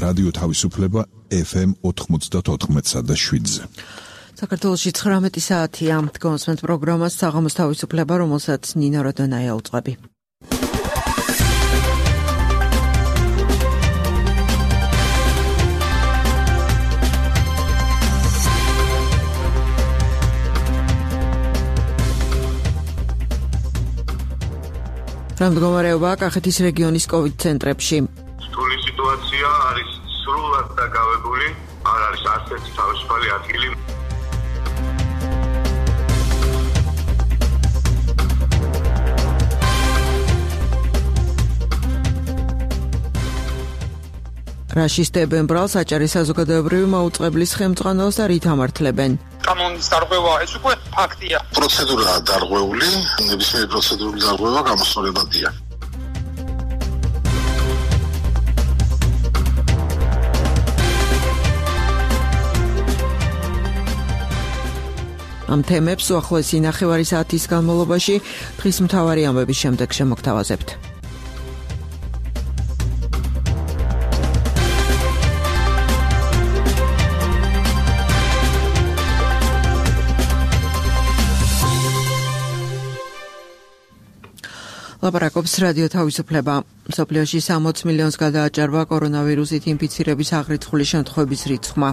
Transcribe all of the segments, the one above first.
რადიო თავისუფლება FM 94.7-ზე. საქართველოში 19 საათია. გონსმენთ პროგრამას საღამოს თავისუფლება, რომელსაც ნინა როდონაია უწყები. მდგომარეობა კახეთის რეგიონის COVID ცენტრებში. რთული სიტუაცია არის სრულად დაკავებული, არ არის არც ერთი თავისუფალი ადგილი. რაშისტებენ ბრალს აჭარის საზოგადოებრივი მაუწყებლის ხელმძღვანელს და რით ამართლებენ? კანონის დარღვევა ეს უკვე ფაქტია. პროცედურაა დარღვეული, ნებისმიერი პროცედურული დარღვევა გამოსწორებადია. ამ თემებს უახლოესი ნახევარი საათის განმავლობაში დღის მთავარი ამბების შემდეგ შემოგთავაზებთ. ლაპარაკობს რადიო თავისუფლება. მსოფლიოში 60 მილიონს გადააჭარბა კორონავირუსით ინფიცირების აღრიცხული შემთხვევების რიცხვმა.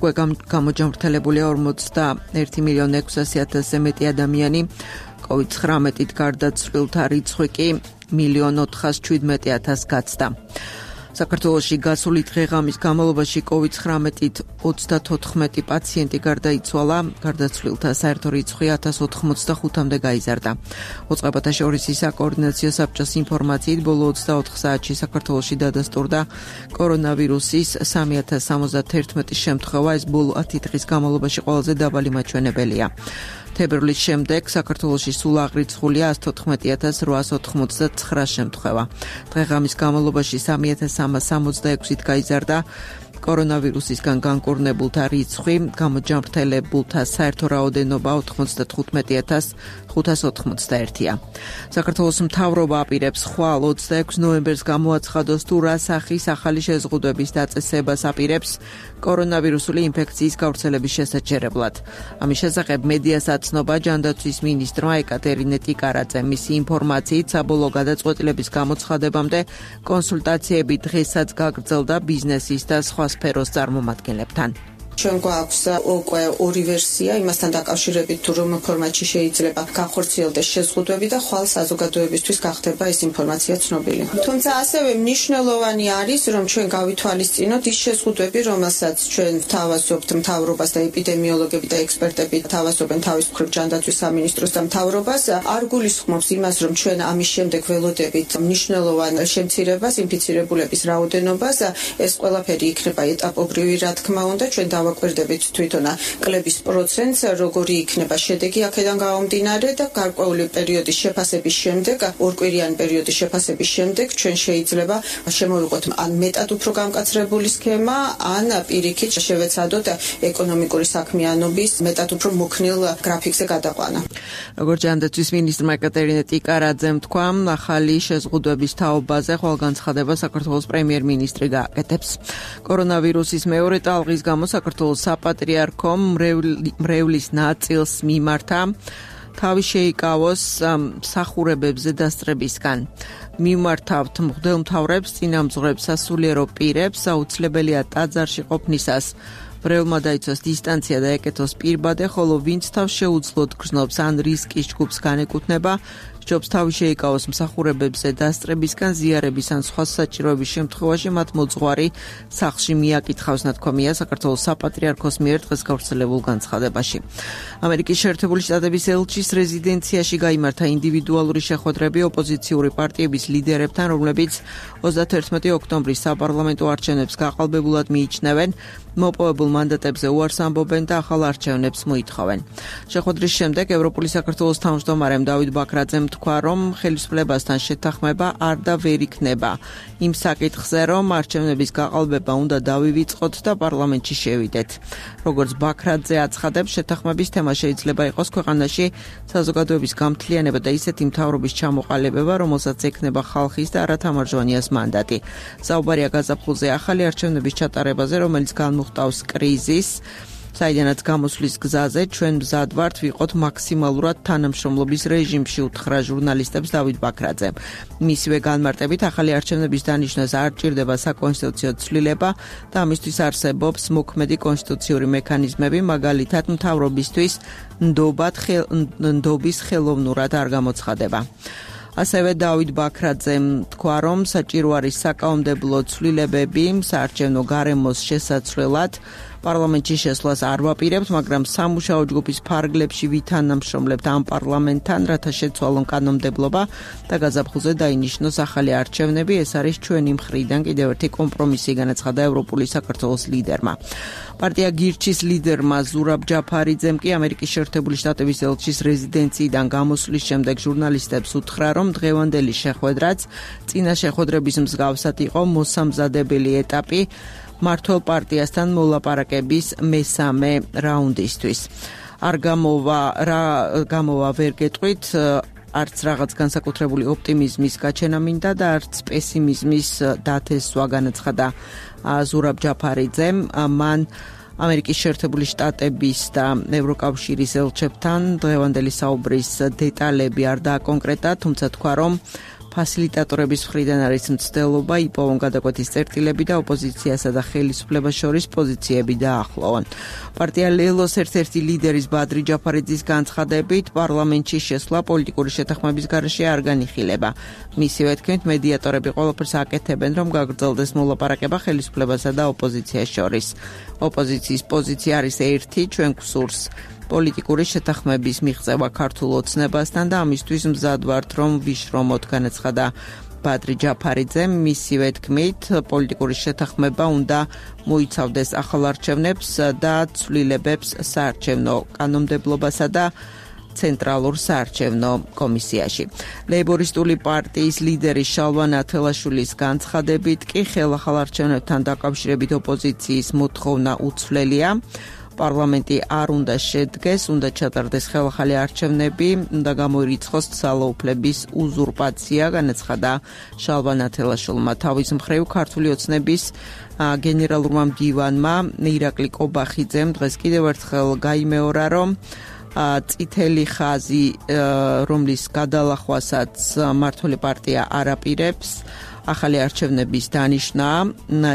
უკვე გამოჯამრთელებულია 41.600.000-ზე მეტი ადამიანი, COVID-19-ით გარდაცვლილთა რიცხვი კი 1.417.000 გაცდა. საქართველოში გასული დღე-ღამის განმავლობაში COVID-19-ით 34 პაციენტი გარდაიცვალა, გარდაცვლილთა საერთო რიცხვი 1085-მდე გაიზარდა. მოწყებათა შორის საკოორდინაციო საბჭოს ინფორმაციით, ბოლო 24 საათში საქართველოში დადასტურდა კორონავირუსის 3071 შემთხვევა, ეს ბოლო 10 დღის განმავლობაში ყველაზე დაბალი მაჩვენებელია. თებერვლის შემდეგ საქართველოში სულ აღრიცხულია 114.899 შემთხვევა. დღე-ღამის განმავლობაში 3366-ით გაიზარდა კორონავირუსისგან განკურნებულთა რიცხვი, გამოჯამრთელებულთა საერთო რაოდენობა 95.581-ია. საქართველოს მთავრობა აპირებს ხვალ 26 ნოემბერს გამოაცხადოს თუ რა სახის ახალი შეზღუდვების დაწესებას აპირებს კორონავირუსული ინფექციის გავრცელების შესაჩერებლად. ამის შესახებ მედიას აცნობა ჯანდაცვის მინისტრმა ეკატერინე ტიკარაძემ. მისი ინფორმაციით, საბოლოო გადაწყვეტილების გამოცხადებამდე კონსულტაციები დღესაც გაგრძელდა ბიზნესის და სხვა სფეროს წარმომადგენლებთან. ჩვენ გვაქვს უკვე ორი ვერსია იმასთან დაკავშირებით, თუ რომ ფორმატში შეიძლება განხორციელდეს შეზღუდვები და ხვალ საზოგადოებისთვის გახდება ეს ინფორმაცია ცნობილი. თუმცა ასევე მნიშვნელოვანი არის, რომ ჩვენ გავითვალისწინოთ ის შეზღუდვები, რომელსაც ჩვენ ვთავაზობთ მთავრობას და ეპიდემიოლოგები და ექსპერტები თავაზობენ თავის მხრივ ჯანდაცვის სამინისტროს და მთავრობას, არ გულისხმობს იმას, რომ ჩვენ ამის შემდეგ ველოდებით მნიშვნელოვან შემცირებას, ინფიცირებულების რაოდენობას, ეს ყველაფერი იქნება ეტაპობრივი, რა თქმა უნდა, ჩვენ ვაკვირდებით თვითონ კლების პროცენტს, როგორი იქნება შედეგი აქედან გამომდინარე და გარკვეული პერიოდის შეფასების შემდეგ, ორკვირიანი პერიოდის შეფასების შემდეგ ჩვენ შეიძლება შემოვიღოთ ან მეტად უფრო გამკაცრებული სქემა, ან პირიქით შევეცადოთ ეკონომიკური საქმიანობის მეტად უფრო მოქნილ გრაფიკზე გადაყვანა. როგორც ჯანდაცვის მინისტრმა ეკატერინე ტიკარაძემ თქვა, ახალი შეზღუდვების თაობაზე ხვალგანცხადება საქართველოს პრემიერ-მინისტრი გააკეთებს. კორონავირუსის მეორე ტალღის გამო საქართველოს საპატრიარქომ მრევლის ნაწილს მიმართა თავი შეიკავოს მსახურებებზე დასწრებისგან. მიმართავთ მღვდელმთავრებს, წინამძღვრებს, სასულიერო პირებს, აუცილებელია ტაძარში ყოფნისას მრევლმა დაიცვას დისტანცია და ეკეთოს პირბადე, ხოლო ვინც თავს შეუძლოდ გრძნობს ან რისკის ჯგუფს განეკუთვნება, სჯობს თავი შეიკავოს მსახურებებზე დასწრებისგან, ზიარების ან სხვა საჭიროების შემთხვევაში მათ მოძღვარი სახლში მიაკითხავს, ნათქვამია საქართველოს საპატრიარქოს მიერ დღეს გავრცელებულ განცხადებაში. ამერიკის შეერთებული შტატების ელჩის რეზიდენციაში გაიმართა ინდივიდუალური შეხვედრები ოპოზიციური პარტიების ლიდერებთან, რომლებიც 31 ოქტომბრის საპარლამენტო არჩევნებს გაყალბებულად მიიჩნევენ. მოპოვებულ მანდატებზე უარს ამბობენ და ახალ არჩევნებს მოითხოვენ. შეხვედრის შემდეგ ევროპული საქართველოს თავმჯდომარემ დავით ბაქრაძემ თქვა, რომ ხელისუფლებასთან შეთანხმება არ და ვერ იქნება იმ საკითხზე, რომ არჩევნების გაყალბება უნდა დავივიწყოთ და პარლამენტში შევიდეთ. როგორც ბაქრაძე აცხადებს, შეთანხმების თემა შეიძლება იყოს ქვეყანაში საზოგადოების გამთლიანება და ისეთი მთავრობის ჩამოყალიბება, რომელსაც ექნება ხალხის და არათამარჯვანიას მანდატი. საუბარია გაზაფხულზე ახალი არჩევნების ჩატარებაზე, რომელიც განმუხტავს კრიზისს. საიდანაც გამოსვლის გზაზე ჩვენ მზად ვართ ვიყოთ მაქსიმალურად თანამშრომლობის რეჟიმში, უთხრა ჟურნალისტებს დავით ბაქრაძემ. მისივე განმარტებით, ახალი არჩევნების დანიშვნას არ ჭირდება საკონსტიტუციო ცვლილება და ამისთვის არსებობს მოქმედი კონსტიტუციური მექანიზმები, მაგალითად მთავრობისთვის ნდობის ხელოვნურად არ გამოცხადება. ასევე დავით ბაქრაძემ თქვა, რომ საჭირო არის საკანონმდებლო ცვლილებები საარჩევნო გარემოს შესაცვლელად. პარლამენტში შესვლას არ ვაპირებთ, მაგრამ სამუშაო ჯგუფის ფარგლებში ვითანამშრომლებთ ამ პარლამენტთან, რათა შეცვალონ კანონმდებლობა და გაზაფხულზე დაინიშნოს ახალი არჩევნები. ეს არის ჩვენი მხრიდან კიდევ ერთი კომპრომისი, განაცხადა ევროპული საქართველოს ლიდერმა. პარტია გირჩის ლიდერმა ზურაბ ჯაფარიძემ კი ამერიკის შეერთებული შტატების ელჩის რეზიდენციიდან გამოსვლის შემდეგ ჟურნალისტებს უთხრა, რომ დღევანდელი შეხვედრაც წინა შეხვედრების მსგავსად იყო მოსამზადებელი ეტაპი მართლ პარტიასთან მოლაპარაკების მესამე რაუნდისთვის. არ გამოვა ვერ გეტყვით, არც რაღაც განსაკუთრებული ოპტიმიზმის გაჩენა მინდა და არც პესიმიზმის დათესვა, განაცხადა ზურაბ ჯაფარიძემ. მან ამერიკის შეერთებული შტატების და ევროკავშირის ელჩებთან დღევანდელი საუბრის დეტალები არ დააკონკრეტა, თუმცა თქვა, რომ ფასილიტატორების მხრიდან არის მცდელობა იპოვონ გადაკვეთის წერტილები და ოპოზიციასა და ხელისუფლებას შორის პოზიციები დაახლოვონ. პარტია ლელოს ერთ-ერთი ლიდერის ბადრი ჯაფარიძის განცხადებით, პარლამენტში შესვლა პოლიტიკური შეთანხმების გარეშე არ განიხილება. მისივე თქმით, მედიატორები ყველაფერს აკეთებენ, რომ გაგრძელდეს მოლაპარაკება ხელისუფლებასა და ოპოზიციას შორის. ოპოზიციის პოზიცია არის ერთი, ჩვენ გვსურს პოლიტიკური შეთანხმების მიღწევა ქართულ ოცნებასთან და ამისთვის მზად ვართ, რომ ვიშრომოთ, განაცხადა ბადრი ჯაფარიძემ. მისივე თქმით, პოლიტიკური შეთანხმება უნდა მოიცავდეს ახალ არჩევნებს და ცვლილებებს საარჩევნო კანონმდებლობასა და ცენტრალურ საარჩევნო კომისიაში. ლეიბორისტული პარტიის ლიდერის შალვა ნათელაშვილის განცხადებით კი ხელახალ არჩევნებთან დაკავშირებით ოპოზიციის მოთხოვნა უცვლელია. პარლამენტი არ უნდა შედგეს, უნდა ჩატარდეს ხელახალი არჩევნები, უნდა გამოირიცხოს ძალაუფლების უზურპაცია, განაცხადა შალვა ნათელაშვილმა. თავის მხრივ ქართული ოცნების გენერალურმა მდივანმა ირაკლი კობახიძემ დღეს კიდევ ერთხელ გაიმეორა, რომ წითელი ხაზი, რომლის გადალახვასაც მართული პარტია არ აპირებს, ახალი არჩევნების დანიშნა.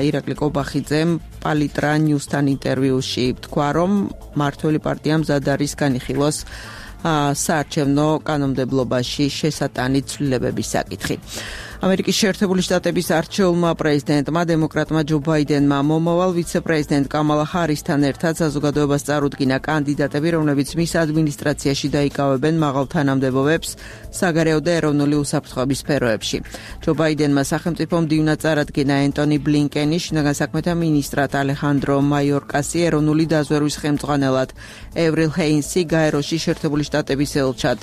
ირაკლი კობახიძემ პალიტრა ნიუსთან ინტერვიუში თქვა, რომ მართული პარტია მზად არის განიხილოს საარჩევნო კანონმდებლობაში შესატანი ცვლილებების საკითხი. ამერიკის შეერთებული შტატების არჩეულმა პრეზიდენტმა დემოკრატმა ჯო ბაიდენმა მომავალ ვიცე-პრეზიდენტ კამალა ჰარისთან ერთად საზოგადოებას წარუდგინა კანდიდატები, რომლებიც მის ადმინისტრაციაში დაიკავებენ მაღალ თანამდებობებს საგარეო და ეროვნული უსაფრთხოების სფეროებში. ჯო ბაიდენმა სახელმწიფო მდივნად წარადგინა ენტონი ბლინკენი, შინაგან საქმეთა მინისტრად ალეხანდრო მაიორკასი, ეროვნული დაზვერვის ხელმძღვანელად ევრილ ჰეინსი, გაეროში შეერთებული შტატების ელჩად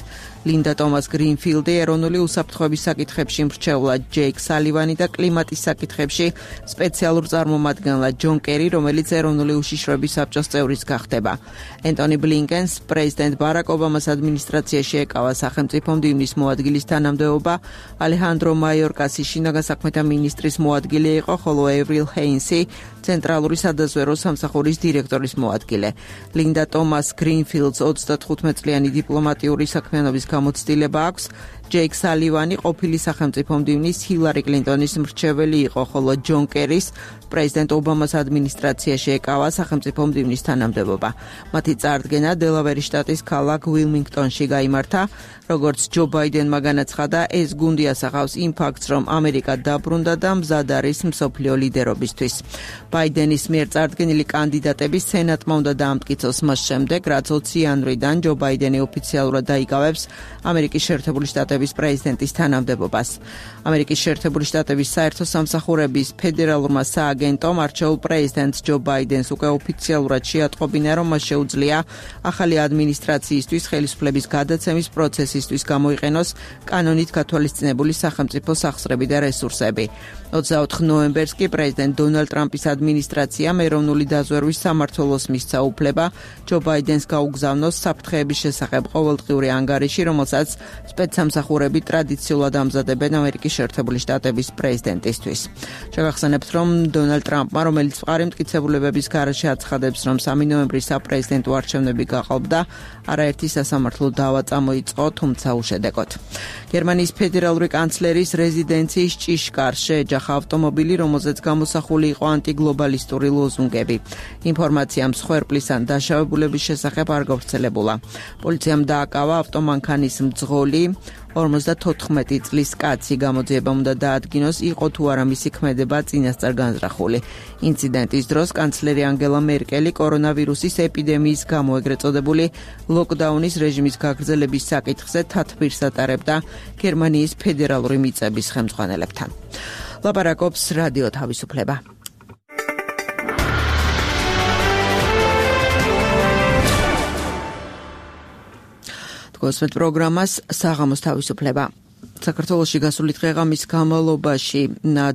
ლინდა ტომას გრინფილდი, ეროვნული უსაფრთხოების საკითხებში მრჩევლად ჯეიკ სალივანი და კლიმატის საკითხებში სპეციალურ წარმომადგენლად ჯონ კერი, რომელიც ეროვნული უშიშროების საბჭოს წევრიც გახდება. ენტონი ბლინკენს პრეზიდენტ ბარაკ ობამას ადმინისტრაციაში ეკავა სახელმწიფო მდივნის მოადგილის თანამდებობა, ალეხანდრო მაიორკასი შინაგან საქმეთა მინისტრის მოადგილე იყო, ხოლო ევრილ ჰეინსი ცენტრალური სადაზვერვო სამსახურის დირექტორის მოადგილე. ლინდა ტომას გრინფილდს 35 წლიანი დიპლომატიური საქმიანობის გამოცდილება აქვს. ჯეიკ სალივანი ყოფილი სახელმწიფო მდივნის ჰილარი კლინტონის მრჩეველი იყო, ხოლო ჯონ კერის პრეზიდენტ ობამას ადმინისტრაციაში ეკავა სახელმწიფო მდივნის თანამდებობა. მათი წარდგენა დელავერის შტატის ქალაქ უილმინგტონში გაიმართა. როგორც ჯო ბაიდენმა განაცხადა, ეს გუნდი ასახავს იმ ფაქტს, რომ ამერიკა დაბრუნდა და მზად არის მსოფლიო ლიდერობისთვის. ბაიდენის მიერ წარდგენილი კანდიდატები სენატმა უნდა დაამტკიცოს მას შემდეგ, რაც 20 იანვრიდან ჯო ბაიდენი ოფიციალურად დაიკავებს ამერიკის შეერთებული შტატების პრეზიდენტის თანამდებობას. ამერიკის შეერთებული შტატების საერთო სამსახურების ფედერალურმა სააგენტომ არჩეულ პრეზიდენტ ჯო ბაიდენს უკვე ოფიციალურად შეატყობინა, რომ მას შეუძლია ახალი ადმინისტრაციისთვის ხელისუფლების გადაცემის პროცესისთვის გამოიყენოს კანონით გათვალისწინებული სახელმწიფო სახსრები და რესურსები. 24 ნოემბერს კი პრეზიდენტ დონალდ ტრამპის ადმინისტრაციამ ეროვნული დაზვერვის სამმართველოს მისცა უფლება ჯო ბაიდენს გაუგზავნოს საფრთხეების შესახებ ყოველდღიური ანგარიში, რომელსაც სპეცსამსახურები ტრადიციულად ამზადებენ ამერიკის შეერთებული შტატების პრეზიდენტისთვის. შევახსენებთ, რომ დონალდ ტრამპმა, რომელიც მყარი მტკიცებულებების გარეშე აცხადებს, რომ 3 ნოემბრის საპრეზიდენტო არჩევნები გაყალბდა, არაერთი სასამართლო დავა წამოიწყო, თუმცა უშედეგოდ. გერმანიის ფედერალური კანცლერის რეზიდენციის ჭიშკარ შეეჯახა ავტომობილი, რომელზეც გამოსახული იყო ანტიგლობალისტური ლოზუნგები. ინფორმაცია მსხვერპლის ან დაშავებულების შესახებ არ გავრცელებულა. პოლიციამ დააკავა ავტომანქანის მძღოლი 54 წლის კაცი, გამოძიება უნდა დაადგინოს, იყო თუ არა მისი ქმედება წინასწარ განზრახული. ინციდენტის დროს კანცლერი ანგელა მერკელი კორონავირუსის ეპიდემიის გამო ეგრეთ წოდებული ლოკდაუნის რეჟიმის გაგრძელების საკითხზე თათბირს ატარებდა გერმანიის ფედერალური მიწების ხელმძღვანელებთან. ლაპარაკობს რადიო თავისუფლება. გოსმეთ პროგრამას საღამოს თავისუფლება. საქართველოში გასული დღეღამის განმავლობაში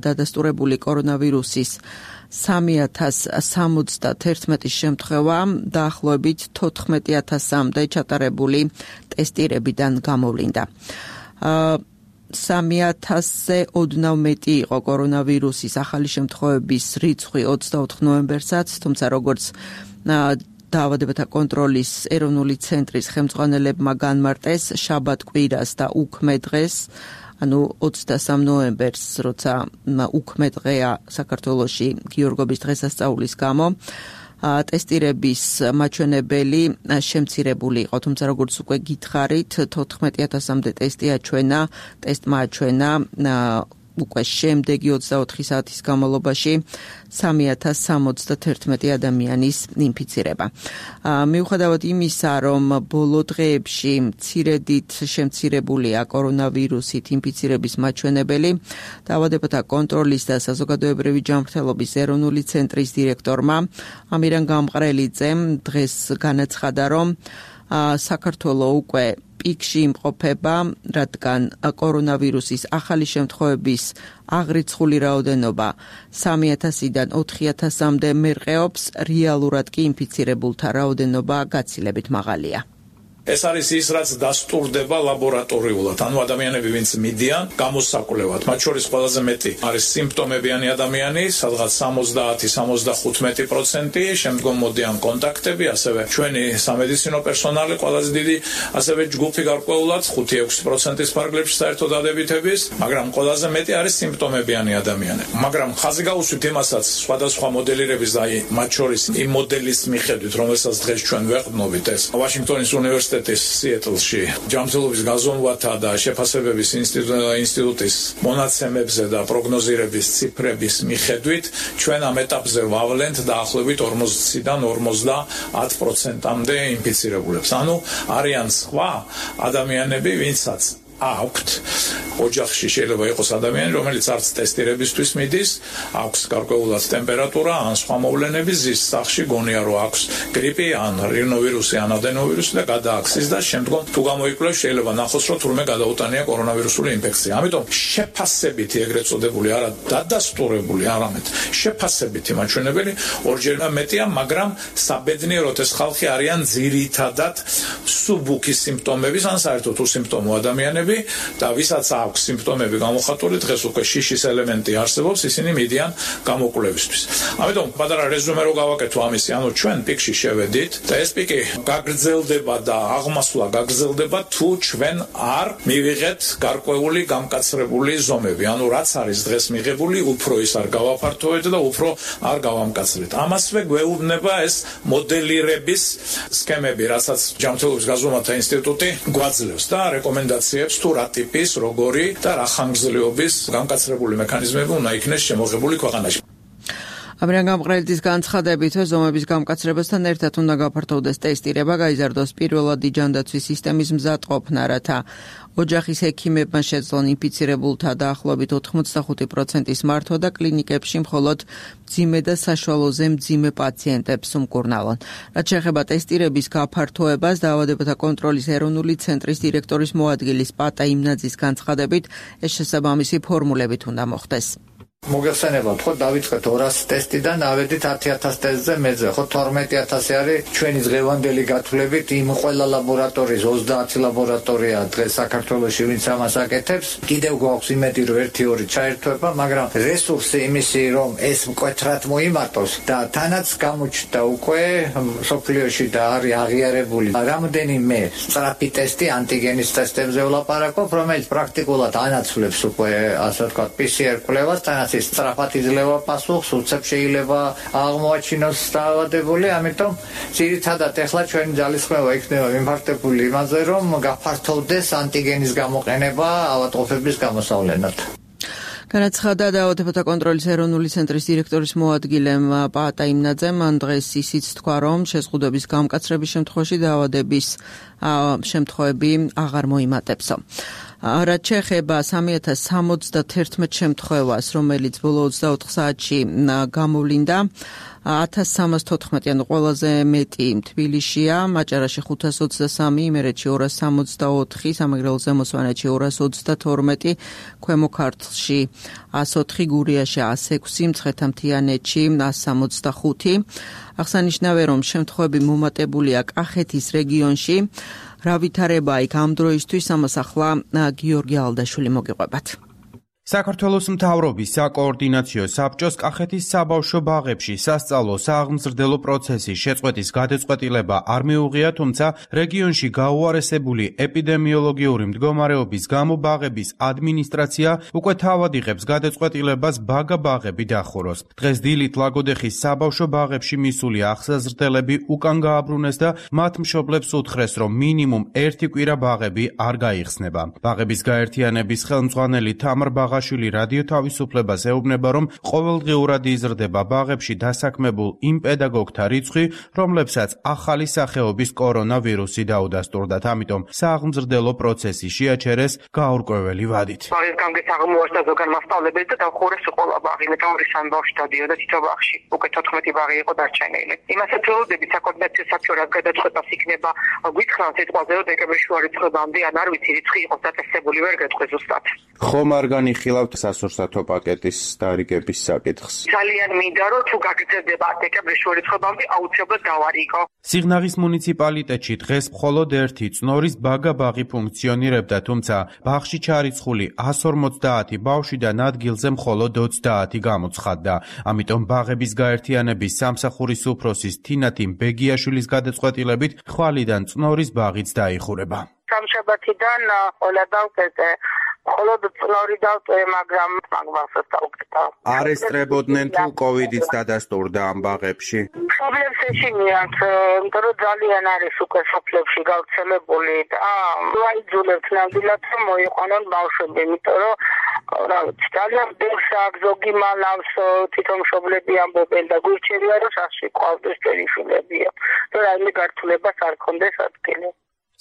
დადასტურებული კორონავირუსის 3071 შემთხვევა დაახლოებით 14000-მდე ჩატარებული ტესტირებიდან გამოვლინდა. 3000-ზე ოდნავ მეტი იყო კორონავირუსის ახალი შემთხვევების რიცხვი 24 ნოემბერსაც, თუმცა როგორც დაავადებათა კონტროლის ეროვნული ცენტრის ხელმძღვანელებმა განმარტეს, შაბათ-კვირას და უქმე დღეს, ანუ 23 ნოემბერს, როცა უქმე დღეა საქართველოში გიორგობის დღესასწაულის გამო, ტესტირების მაჩვენებელი შემცირებული იყო, თუმცა როგორც უკვე გითხარით, 14000-მდე ტესტი აჩვენა, ტესტმა აჩვენა უკვე შემდეგი 24 საათის განმავლობაში 3071 ადამიანის ინფიცირება. მიუხედავად იმისა, რომ ბოლო დღეებში მცირედით შემცირებულია კორონავირუსით ინფიცირების მაჩვენებელი, დაავადებათა კონტროლის და საზოგადოებრივი ჯანმრთელობის ეროვნული ცენტრის დირექტორმა ამირან გამყრელიძემ დღეს განაცხადა, რომ საქართველო უკვე პიკში იმყოფება, რადგან კორონავირუსის ახალი შემთხვევების აღრიცხული რაოდენობა 3000-დან 4000-მდე მერყეობს, რეალურად კი ინფიცირებულთა რაოდენობა გაცილებით მაღალია. ეს არის ის, რაც დასტურდება ლაბორატორიულად. ანუ ადამიანები, ვინც მიდიან გამოსაკვლევად, მათ შორის ყველაზე მეტი არის სიმპტომებიანი ადამიანი, სადღაც 70-75%, შემდგომ მოდიან კონტაქტები, ასევე ჩვენი სამედიცინო პერსონალი ყველაზე დიდი, ასევე ჯგუფი გარკვეულად 5-6%-ის ფარგლებში საერთო დადებითების, მაგრამ ყველაზე მეტი არის სიმპტომებიანი ადამიანები. მაგრამ ხაზი გაუსვით იმასაც, სხვადასხვა მოდელირების და მათ შორის იმ მოდელის მიხედვით, რომელსაც დღეს ჩვენ ვეყრდნობით, ეს ვაშინგტონის უნივერსიტეტის სიეტლში ჯანმრთელობის გაზომვათა და შეფასებების ინსტიტუტის მონაცემებზე და პროგნოზირების ციფრების მიხედვით ჩვენ ამ ეტაპზე ვავლენთ დაახლოებით 40-დან 50%-მდე ინფიცირებულებს. ანუ არიან სხვა ადამიანები, ვინცაც აქვთ ოჯახში შეიძლება იყოს ადამიანი, რომელიც არც ტესტირებისთვის მიდის, აქვს გარკვეულად ტემპერატურა ან სხვა მოვლენები, ზის სახში გონია რომ აქვს გრიპი ან რინოვირუსი ან ადენოვირუსი და გადააქცის და შემდგომ თუ გამოიკვლევს შეიძლება ნახოს რომ თურმე გადაუტანია კორონავირუსული ინფექცია. ამიტომ შეფასებითი ეგრეთ წოდებული არა დადასტურებული, არამედ შეფასებითი მაჩვენებელი ორჯერ მეტია, მაგრამ საბედნიეროდ ეს ხალხი არიან ძირითადად სუბუქის სიმპტომების ან საერთოდ უსიმპტომო ადამიანები და ვისაც აქვს სიმპტომები გამოხატული, დღეს უკვე შიშის ელემენტი არსებობს, ისინი მიდიან გამოკვლევისთვის. ამიტომ პატარა რეზუმე რო გავაკეთო ამისი, ანუ ჩვენ პიკში შევედით და ეს პიკი გაგრძელდება და აღმასვლა გაგრძელდება თუ ჩვენ არ მივიღეთ გარკვეული გამკაცრებული ზომები. ანუ რაც არის დღეს მიღებული, უფრო ის არ გავაფართოვეთ და უფრო არ გავამკაცრეთ. ამასვე გვეუბნება ეს მოდელირების სქემები, რასაც ჯანმრთელობის გაზომვათა ინსტიტუტი გვაძლევს და რეკომენდაციებს თუ რა ტიპის, როგორი და რა ხანგრძლივობის გამკაცრებული მექანიზმები უნდა იქნეს შემოღებული ქვეყანაში. ამრიგად გამყრელის განცხადებით ზომების გამკაცრებასთან ერთად უნდა გაფართოვდეს ტესტირება, გაიზარდოს პირველადი ჯანდაცვის სისტემის მზადყოფნა, რათა ოჯახის ექიმებმა შეძლონ ინფიცირებულთა დაახლოებით 85%-ის მართვა და კლინიკებში მხოლოდ მძიმე და საშუალოზე მძიმე პაციენტებს უმკურნალონ. რაც შეეხება ტესტირების გაფართოებას, დაავადებათა კონტროლის ეროვნული ცენტრის დირექტორის მოადგილის პატა იმნაძის განცხადებით, ეს შესაბამისი ფორმულებით უნდა მოხდეს. მოგეხსენებათ, ხო დავიწყეთ 200 ტესტიდან, ავედით 10,000 ტესტზე მეძე, ხო 12,000 არის ჩვენი დღევანდელი გათვლებით იმ ყველა ლაბორატორიის 30 ლაბორატორია დღეს საქართველოში ვინც ამას აკეთებს. კიდევ გვაქვს იმედი რომ 1-2 ჩაერთვება, მაგრამ რესურსი იმისი რომ ეს მკვეთრად მოიმატოს და თანაც გამოჩნდა უკვე სოფლიოში და არის აღიარებული რამდენიმე სწრაფი ტესტი ანტიგენის ტესტებზე ვლაპარაკობ, რომელიც პრაქტიკულად ანაცვლებს უკვე ასე ვთქვათ PCR კვლევას, თანაც სწრაფად იძლევა პასუხს, უცებ შეიძლება აღმოაჩინოს დაავადებული, ამიტომ ძირითადად ეხლა ჩვენი ძალისხმევა იქნება მიმართებული იმაზე, რომ გაფართოვდეს ანტიგენის გამოყენება ავადმყოფების გამოსავლენად. განაცხადა დაავადებათა კონტროლის ეროვნული ცენტრის დირექტორის მოადგილემ პაატა იმნაძემ, მან დღეს ისიც თქვა, რომ შეზღუდვების გამკაცრების შემთხვევაში დაავადების შემთხვევები აღარ მოიმატებსო. რაც შეეხება 3071 შემთხვევას, რომელიც ბოლო 24 საათში გამოვლინდა, 1314, ანუ ყველაზე მეტი თბილისშია, მაჭარაში 523, იმერეთში 264, სამეგრელო ზემოსვანეთში 232, ქვემო ქართლში 104, გურიაში 106, მცხეთა-მთიანეთში 165. აღსანიშნავია, რომ შემთხვევები მომატებულია კახეთის რეგიონში. რა ვითარება იქ ამ დროისთვის, ამას ახლა გიორგი ალდაშვილი მოგიყვებათ. საქართველოს მთავრობის საკოორდინაციო საბჭოს კახეთის საბავშვო ბაღებში სასწავლო სააღმზრდელო პროცესის შეწყვეტის გადაწყვეტილება არ მიუღია, თუმცა რეგიონში გაუარესებული ეპიდემიოლოგიური მდგომარეობის გამო ბაღების ადმინისტრაცია უკვე თავად იღებს გადაწყვეტილებას ბაგა ბაღები დახუროს. დღეს დილით ლაგოდეხის საბავშვო ბაღებში მისული აღსაზრდელები უკან გააბრუნეს და მათ მშობლებს უთხრეს, რომ მინიმუმ 1 კვირა ბაღები არ გაიხსნება. ბაღების გაერთიანების ხელმძღვანელი თამარ შვილი რადიო თავისუფლებას ეუბნება, რომ ყოველდღიურად იზრდება ბაღებში დასაქმებულ იმ პედაგოგთა რიცხვი, რომლებსაც ახალი სახეობის კორონავირუსი დაუდასტურდათ. ამიტომ სააღმზრდელო პროცესი შეაჩერეს გაურკვეველი ვადით. ბაღის გამგეს აღმოაჩნდა ზოგან მასწავლებელი და დახურეს ყველა ბაღი. მე თამრის ბაღში დადიოდა თითო ბაღში. უკვე 14 ბაღი იყო დარჩენილი. იმასაც ველოდებით საკოორდინაციო საბჭოს გადაწყვეტას იქნება გვითხრან სიტყვაზე, რომ დეკემბერში არ იწყებამდე, ან არ ვიცი რიცხვი იყოს დაწესებული, ვერ გეტყვი ზუსტად. ხომ არ განიხილავთ სასურსათო პაკეტის დარიგების საკითხს? ძალიან მინდა რომ თუ გაგრძელდება დეკემბერში ვერ იწყებამდე, აუცილებლად დავარიგო. სიღნაღის მუნიციპალიტეტში დღეს მხოლოდ ერთი წნორის ბაგა ბაღი ფუნქციონირებდა, თუმცა ბაღში ჩარიცხული 150 ბავშვიდან ადგილზე მხოლოდ 30 გამოცხადდა. ამიტომ ბაღების გაერთიანების სამსახურის უფროსის თინათი ბეგიაშვილის გადაწყვეტილებით ხვალიდან წნორის ბაღიც დაიხურება. სამშაბათიდან ყველა დავკეთე. მხოლოდ წნორი დავწვე, მაგრამ მაგასაც დავკეთა. არ ესწრებოდნენ თუ კოვიდიც დადასტურდა ამ ბაღებში? მშობლებს ეშინიათ, იმიტომ რომ ძალიან არის უკვე სოფლებში გავრცელებული და ვაიძულებთ ნამდვილად რომ მოიყვანონ ბავშვები, იმიტომ რომ რა ვიცი, ძალიან ბევრს აქვს, ზოგი მალავს, თვითონ მშობლები ამბობენ და გვირჩევია რომ სასში ყავდეს წერიშულებია. და რაიმე გართულებას არ ქონდეს ადგილი.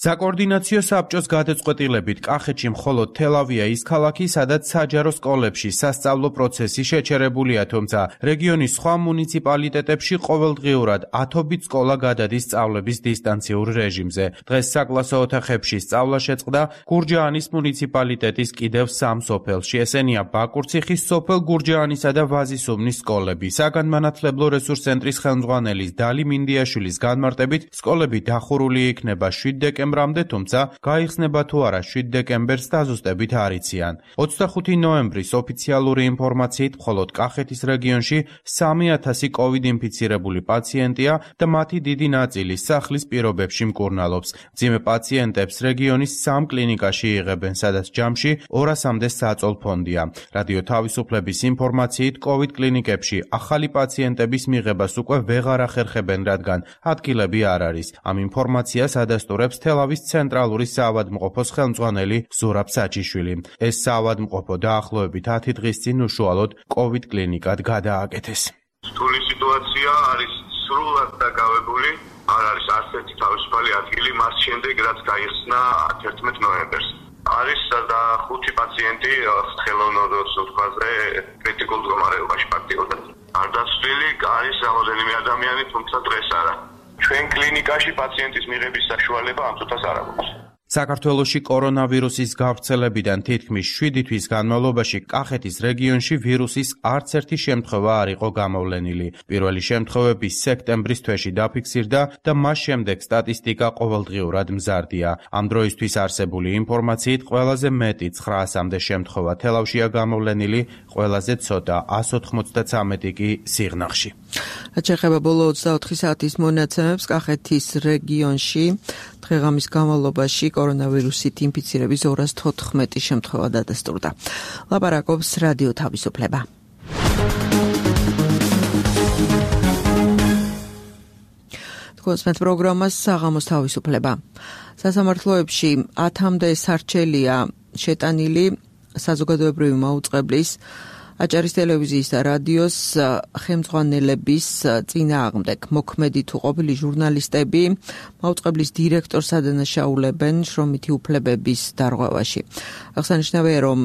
საკოორდინაციო საბჭოს გადაწყვეტილებით კახეთში მხოლოდ თელავია ის ქალაქი, სადაც საჯარო სკოლებში სასწავლო პროცესი შეჩერებულია, თუმცა რეგიონის სხვა მუნიციპალიტეტებში ყოველდღიურად ათობით სკოლა გადადის სწავლების დისტანციურ რეჟიმზე. დღეს საკლასო ოთახებში სწავლა შეწყდა გურჯაანის მუნიციპალიტეტის კიდევ 3 სოფელში. ესენია ბაკურციხის სოფელ გურჯაანისა და ვაზისუბნის სკოლები. საგანმანათლებლო რესურს ცენტრის ხელმძღვანელის დალი მინდიაშვილის განმარტებით, სკოლები დახურული იქნება 7 დეკემბრამდე, თუმცა გაიხსნება თუ არა 7 დეკემბერს დაზუსტებით არ იციან. 25 ნოემბრის ოფიციალური ინფორმაციით მხოლოდ კახეთის რეგიონში 3000 კოვიდ ინფიცირებული პაციენტია და მათი დიდი ნაწილი სახლის პირობებში მკურნალობს. მძიმე პაციენტებს რეგიონის 3 კლინიკაში იღებენ, სადაც ჯამში 200-მდე საწოლ ფონდია. რადიო თავისუფლების ინფორმაციით კოვიდ კლინიკებში ახალი პაციენტების მიღებას უკვე ვეღარ ახერხებენ, რადგან ადგილები არ არის. ამ ინფორმაციას ადასტურებს თელავის ცენტრალური საავადმყოფოს ხელმძღვანელი ზურაბ საჩიშვილი. ეს საავადმყოფო დაახლოებით 10 დღის წინ უშუალოდ კოვიდ კლინიკად გადააკეთეს. რთული სიტუაცია არის სრულად დაკავებული, არ არის არც ერთი თავისუფალი ადგილი მას შემდეგ, რაც გაიხსნა 11 ნოემბერს. არის და 5 პაციენტი ხელოვნურ სულთქაზე კრიტიკულ მდგომარეობაში პაქტიოდან. არ დაცვლილი არის რამოდენიმე ადამიანი, თუმცა დღეს არა. ჩვენ კლინიკაში პაციენტის მიღების საშუალება ამ წუთას არ აქვს. საქართველოში კორონავირუსის გავრცელებიდან თითქმის 7 თვის განმავლობაში კახეთის რეგიონში ვირუსის არც ერთი შემთხვევა არ იყო გამოვლენილი. პირველი შემთხვევები სექტემბრის თვეში დაფიქსირდა და მას შემდეგ სტატისტიკა ყოველდღიურად მზარდია. ამ დროისთვის არსებული ინფორმაციით ყველაზე მეტი 900-მდე შემთხვევა თელავშია გამოვლენილი, ყველაზე ცოტა 193 კი სიღნაღში. შეეხება ბოლო 24 საათის მონაცემებს კახეთის რეგიონში დღეღამის განმავლობაში კორონავირუსით ინფიცირების 214 შემთხვევა დადასტურდა. ლაპარაკობს რადიო თავისუფლება. თქვენს პროგრამას საღამოს თავისუფლება. სასამართლოებში 10-მდე სარჩელია შეტანილი საზოგადოებრივი მაუწყებლის აჭარის ტელევიზიის და რადიოს ხელმძღვანელების წინააღმდეგ. მოქმედი თუ ყოფილი ჟურნალისტები მაუწყებლის დირექტორს ადანაშაულებენ შრომითი უფლებების დარღვევაში. აღსანიშნავია, რომ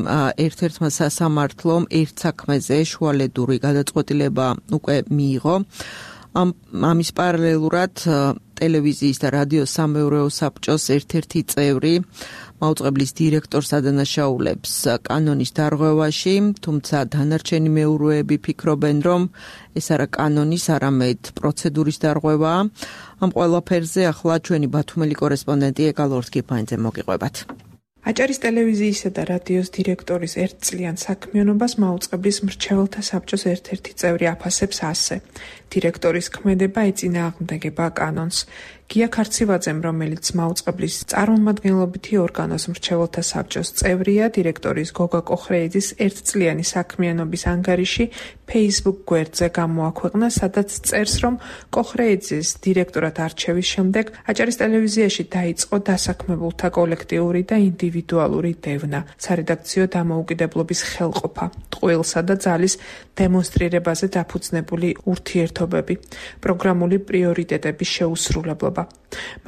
ერთ-ერთმა სასამართლომ ერთ საქმეზე შუალედური გადაწყვეტილება უკვე მიიღო. ამის პარალელურად ტელევიზიის და რადიოს სამეურვეო საბჭოს ერთ-ერთი წევრი მაუწყებლის დირექტორს ადანაშაულებს კანონის დარღვევაში, თუმცა დანარჩენი მეურვეები ფიქრობენ, რომ ეს არა კანონის, არამედ პროცედურის დარღვევაა. ამ ყველაფერზე ახლა ჩვენი ბათუმელი კორესპონდენტი ეკალორსკიფაინძე მოგიყვებათ. აჭარის ტელევიზიისა და რადიოს დირექტორის ერთწლიან საქმიანობას მაუწყებლის მრჩეველთა საბჭოს ერთ-ერთი წევრი აფასებს ასე. დირექტორის ქმედება ეწინააღმდეგება კანონს. გია ქარცივაძემ, რომელიც მაუწყებლის წარმომადგენლობითი ორგანოს მრჩეველთა საბჭოს წევრია, დირექტორის გოგა კოხრეიძის ერთწლიანი საქმიანობის ანგარიში Facebook გვერდზე გამოაქვეყნა, სადაც წერს, რომ კოხრეიძის დირექტორად არჩევის შემდეგ აჭარის ტელევიზიაში დაიწყო დასაქმებულთა კოლექტიური და ინდივიდუალური დევნა, სარედაქციო დამოუკიდებლობის ხელყოფა, ტყუილსა და ძალის დემონსტრირებაზე დაფუძნებული ურთიერთობები, პროგრამული პრიორიტეტების შეუსრულებლობა.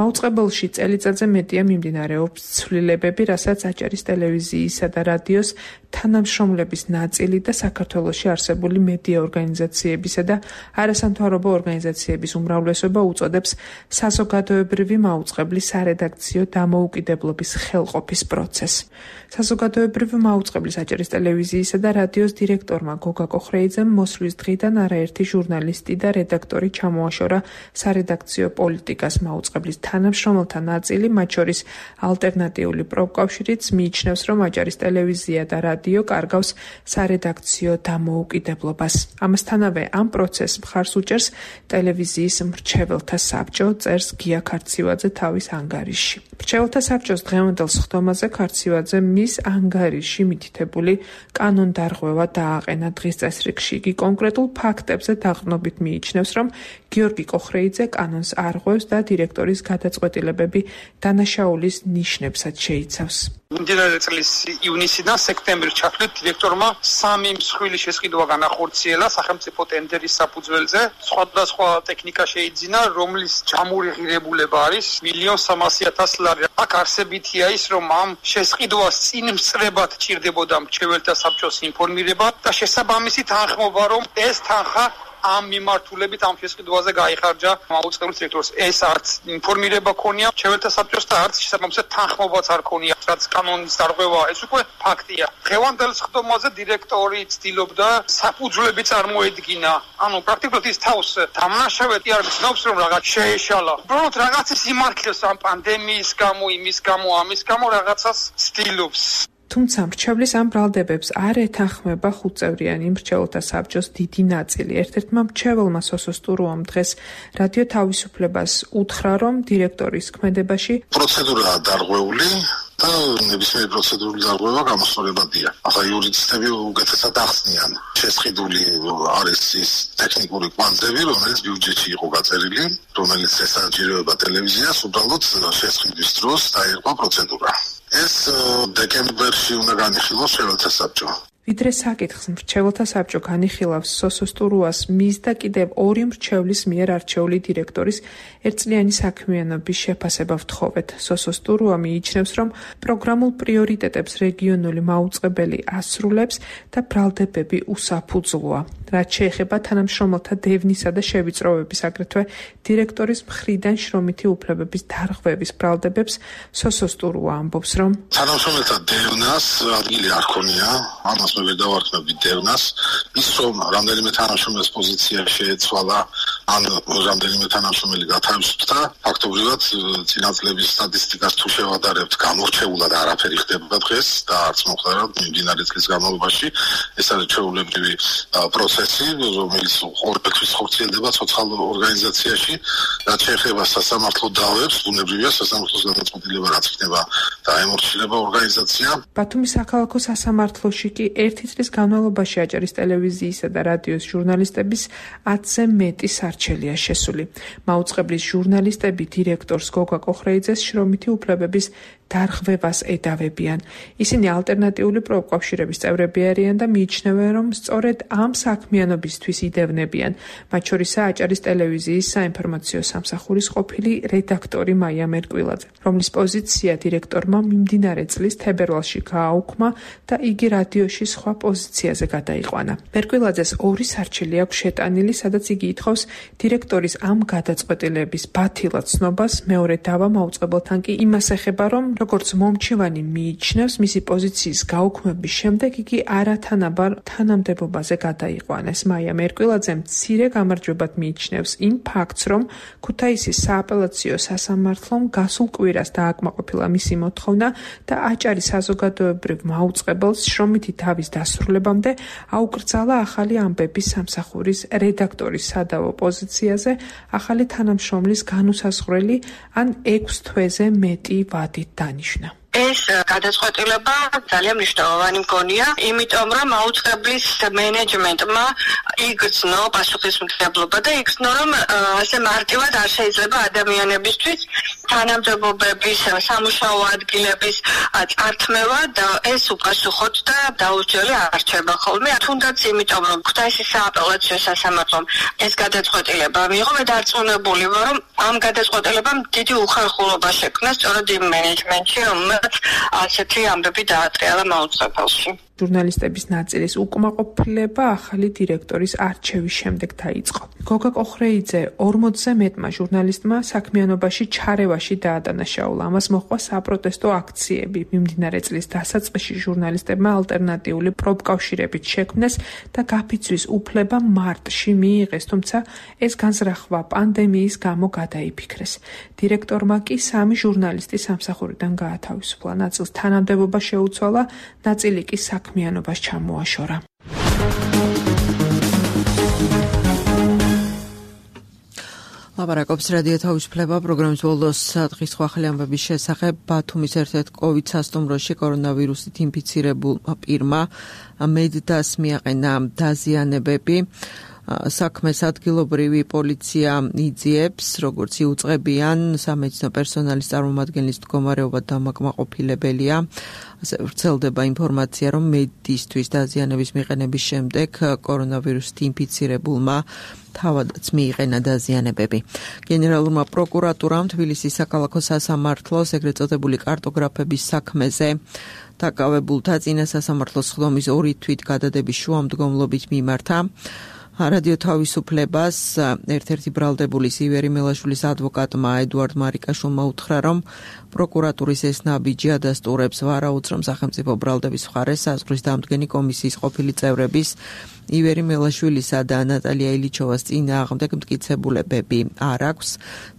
მაუწყებელში წელიწადზე მეტია მიმდინარეობს ცვლილებები, რასაც აჭარის ტელევიზიისა და რადიოს თანამშრომლების ნაწილი და საქართველოში არსებული მედია ორგანიზაციებისა და არასამთავრობო ორგანიზაციების უმრავლესობა უწოდებს საზოგადოებრივი მაუწყებლის სარედაქციო დამოუკიდებლობის ხელყოფის პროცესს. საზოგადოებრივი მაუწყებლის აჭარის ტელევიზიისა და რადიოს დირექტორმა გოგა კოხრეიძემ მოსვლის დღიდან არაერთი ჟურნალისტი და რედაქტორი ჩამოაშორა სარედაქციო პოლიტიკას მაუწყებლის თანამშრომელთა ნაწილი, მათ შორის ალტერნატიული პროფკავშირიც მიიჩნევს, რომ აჭარის ტელევიზია და რადიო კარგავს სარედაქციო დამოუკიდებლობას. ამასთანავე ამ პროცესს მხარს უჭერს ტელევიზიის მრჩეველთა საბჭო, წერს გია ქარცივაძე თავის ანგარიში. მრჩეველთა საბჭოს დღევანდელ სხდომაზე ქარცივაძემ მის ანგარიში მითითებული კანონდარღვევა დააყენა დღის წესრიგში. იგი კონკრეტულ ფაქტებზე დაყრდნობით მიიჩნევს, რომ გიორგი კოხრეიძე კანონს არღვევს და დირექტორის გადაწყვეტილებები დანაშაულის ნიშნებსაც შეიცავს. მიმდინარე წლის ივნისიდან სექტემბრის ჩათვლით დირექტორმა 3 მსხვილი შესყიდვა განახორციელა სახელმწიფო ტენდერის საფუძველზე. სხვადასხვა ტექნიკა შეიძინა, რომლის ჯამური ღირებულება არის 1.3 მილიონ ლარი. აქ არსებითია ის, რომ ამ შესყიდვას წინ მსწრებად ჭირდებოდა მრჩეველთა საბჭოს ინფორმირება და შესაბამისი თანხმობა, რომ ეს თანხა ამ მიმართულებით ამ შესყიდვაზე გაიხარჯა მაუწყებლის დირექტორს. ეს არც ინფორმირება ქონია მრჩეველთა საბჭოს და არც შესაბამისად თანხმობაც არ ქონია, რაც კანონის დარღვევაა, ეს უკვე ფაქტია. დღევანდელ სხდომაზე დირექტორი ცდილობდა საფუძვლები წარმოედგინა. ანუ პრაქტიკულად ის თავს დამნაშავედ არ გრძნობს, რომ რაღაც შეეშალა. უბრალოდ რაღაცის იმართლებს ამ პანდემიის გამო, იმის გამო, ამის გამო რაღაცას ცდილობს. თუმცა მრჩევლის ამ ბრალდებებს არ ეთანხმება 5-წევრიანი მრჩეველთა საბჭოს დიდი ნაწილი. ერთ-ერთმა მრჩეველმა სოსო სტურუამ დღეს რადიო თავისუფლებას უთხრა, რომ დირექტორის ქმედებაში პროცედურაა დარღვეული და ნებისმიერი პროცედურული დარღვევა გამოსწორებადია. ახლა იურისტები უკეთესად ახსნიან. შესყიდული არის ის ტექნიკური კვანძები, რომელიც ბიუჯეტში იყო გაწერილი, რომელიც ესაჭიროება ტელევიზიას, უბრალოდ შესყიდვის დროს დაერყვა პროცედურა. ეს დეკემბერში უნდა განიხილოს მრჩეველთა საბჭო. ვიდრე საკითხს მრჩეველთა საბჭო განიხილავს სოსოს ტურუას მის და კიდევ ორი მრჩევლის მიერ არჩეული დირექტორის ერთწლიანი საქმიანობის შეფასება ვთხოვეთ. სოსოს ტურუა მიიჩნევს, რომ პროგრამულ პრიორიტეტებს რეგიონული მაუწყებელი ასრულებს და ბრალდებები უსაფუძვლოა. რაც შეეხება თანამშრომელთა დევნისა და შევიწროვების, აგრეთვე დირექტორის მხრიდან შრომითი უფლებების დარღვევის ბრალდებებს, სოსოს ტურუა ამბობს, რომ თანამშრომელთა დევნას ადგილი არ ქონია, ამას მე ვერ დავარქმევდი დევნას, ის რომ რამდენიმე თანამშრომელის პოზიცია შეეცვალა, ან რამდენიმე თანამშრომელი გათავისუფლდა, ფაქტობრივად წინაწლების სტატისტიკას თუ შევადარებთ, გამორჩეულად არაფერი ხდება დღეს და არც მომხდარა მიმდინარე წლის განმავლობაში. ეს არის ჩვეულებრივი პროცესი, რომელიც ყოველთვის ხორციელდება ცოცხალ ორგანიზაციაში, რაც შეეხება სასამართლო დავებს, ბუნებრივია სასამართლოს გადაწყვეტილება რაც იქნება და ემორჩილება ორგანიზაცია. ბათუმის საქალაქო სასამართლოში კი ერთი წლის განმავლობაში აჭარის ტელევიზიისა და რადიოს ჟურნალისტების 10-ზე მეტი სარჩელია შესული. მაუწყებლის ჟურნალისტები დირექტორს გოგა კოხრეიძეს შრომითი უფლებების დარღვევას ედავებიან. ისინი ალტერნატიული პროფკავშირების წევრები არიან და მიიჩნევენ, რომ სწორედ ამ საქმიანობისთვის იდევნებიან. მათ შორისაა აჭარის ტელევიზიის საინფორმაციო სამსახურის ყოფილი რედაქტორი მაია მერკვილაძე, რომლის პოზიცია დირექტორმა მიმდინარე წლის თებერვალში გააუქმა და იგი რადიოში სხვა პოზიციაზე გადაიყვანა. მერკვილაძეს ორი სარჩელი აქვს შეტანილი, სადაც იგი ითხოვს დირექტორის ამ გადაწყვეტილების ბათილად ცნობას. მეორე დავა მაუწყებელთან კი იმას ეხება, რომ როგორც მომჩივანი მიიჩნევს, მისი პოზიციის გაუქმების შემდეგ იგი არათანაბარ თანამდებობაზე გადაიყვანეს. მაია მერკვილაძე მცირე გამარჯვებად მიიჩნევს იმ ფაქტს, რომ ქუთაისის სააპელაციო სასამართლომ გასულ კვირას დააკმაყოფილა მისი მოთხოვნა და აჭარის საზოგადოებრივ მაუწყებელს შრომითი დავის დასრულებამდე აუკრძალა ახალი ამბების სამსახურის რედაქტორის სადავო პოზიციაზე ახალი თანამშრომლის განუსაზღვრელი ან 6 თვეზე მეტი ვადით დანიშნა. ეს გადაწყვეტილება ძალიან მნიშვნელოვანი მგონია, იმიტომ რომ მაუწყებლის მენეჯმენტმა იგრძნო პასუხისმგებლობა და იგრძნო, რომ ასე მარტივად არ შეიძლება ადამიანებისთვის თანამდებობების, სამუშაო ადგილების წართმევა და ეს უპასუხოდ და დაუჯერე არ რჩება ხოლმე. თუნდაც იმიტომ, რომ ქუთაისის სააპელაციო სასამართლომ ეს გადაწყვეტილება მიიღო, მე დარწმუნებული ვარ, რომ ამ გადაწყვეტილებამ დიდი უხერხულობა შექმნა სწორედ იმ მენეჯმენტში, რომელმაც ასეთი ამბები დაატრიალა მაუწყებელში. ჟურნალისტების ნაწილის უკმაყოფილება ახალი დირექტორის არჩევის შემდეგ დაიწყო. გოგა კოხრეიძე 40-ზე მეტმა ჟურნალისტმა საქმიანობაში ჩარევაში დაადანაშაულა. ამას მოჰყვა საპროტესტო აქციები. მიმდინარე წლის დასაწყისში ჟურნალისტებმა ალტერნატიული პროფკავშირებით შექმნეს და გაფიცვის უფლება მარტში მიიღეს, თუმცა ეს განზრახვა პანდემიის გამო გადაიფიქრეს. დირექტორმა კი 3 ჟურნალისტი სამსახურიდან გაათავისუფლა. ნაწილს თანამდებობა შეუცვალა, ნაწილი კი საქმიანობას ჩამოაშორა. ლაპარაკობს რადიო თავისუფლება პროგრამის ბოლოს დღის ახალი ამბების შესახებ. ბათუმის ერთ-ერთ კოვიდ სასტუმროში კორონავირუსით ინფიცირებულმა პირმა მედდას მიაყენა დაზიანებები. საქმეს ადგილობრივი პოლიცია იძიებს, როგორც იუწყებიან სამედიცინო პერსონალის წარმომადგენლის მდგომარეობა დამაკმაყოფილებელია. ასე ვრცელდება ინფორმაცია, რომ მედდისთვის დაზიანების მიყენების შემდეგ კორონავირუსით ინფიცირებულმა თავადაც მიიყენა დაზიანებები. გენერალურმა პროკურატურამ თბილისის საქალაქო სასამართლოს ეგრეთ წოდებული კარტოგრაფების საქმეზე დაკავებულთა წინა სასამართლოს ხდომის 2 თვით გადადების შუამდგომლობით მიმართა. რადიო თავისუფლებას ერთ-ერთი ბრალდებულის ივერი მელაშვილის ადვოკატმა ედუარდ მარიკაშვილმა უთხრა, რომ პროკურატურის ეს ნაბიჯი ადასტურებს ვარაუდს, სახელმწიფო ბრალდების მხარეს საზღვრის დამდგენი კომისიის ყოფილი წევრების ივერი მელაშვილისა და ნატალია ილიჩოვას წინააღმდეგ მტკიცებულებები არ აქვს.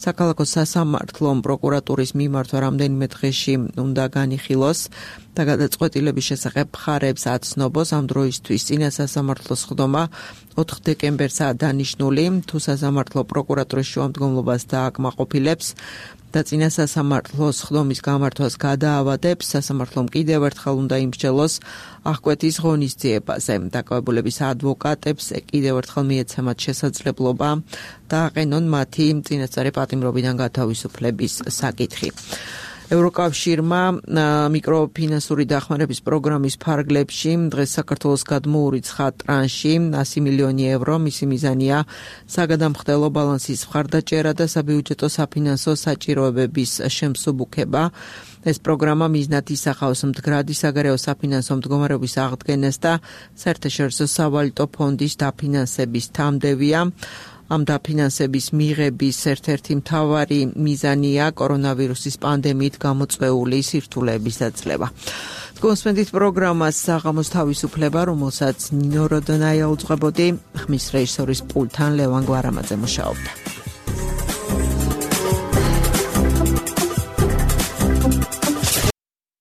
საქალაქო სასამართლომ პროკურატურის მიმართვა რამდენიმე დღეში უნდა განიხილოს და გადაწყვეტილების შესახებ მხარებს აცნობს. ამ დროისთვის წინა სასამართლოს ხდომა 4 დეკემბერსაა დანიშნული. თუ სასამართლო პროკურატურის შუამდგომლობას დააკმაყოფილებს და წინა სასამართლოს ხდომის გამართვას გადაავადებს, სასამართლომ კიდევ ერთხელ უნდა იმსჯელოს აღკვეთის ღონისძიებაზე. დაკავებულების ადვოკატებს კიდევ ერთხელ მიეცემათ შესაძლებლობა დააყენონ მათი წინასწარი პატიმრობიდან გათავისუფლების საკითხი. ევროკავშირმა მიკროფინანსური დახმარების პროგრამის ფარგლებში დღეს საქართველოს გადმოურიცხა ტრანში 100 მილიონი ევრო. მისი მიზანია საგადამხდელო ბალანსის მხარდაჭერა და საბიუჯეტო საფინანსო საჭიროებების შემსუბუქება. ეს პროგრამა მიზნად ისახავს მდგრადი საგარეო საფინანსო მდგომარეობის აღდგენას და საერთაშორისო სავალუტო ფონდის დაფინანსების თამდევია. ამ დაფინანსების მიღების ერთ-ერთი მთავარი მიზანია კორონავირუსის პანდემიით გამოწვეული სირთულეების დაძლევა. გონსპენდით პროგრამას საღამოს თავისუფლება, რომელსაც ნინო როდონაია უძღვებოდი, ხმის რეჟისორის პულტთან ლევან გვარამაძე მუშაობდა.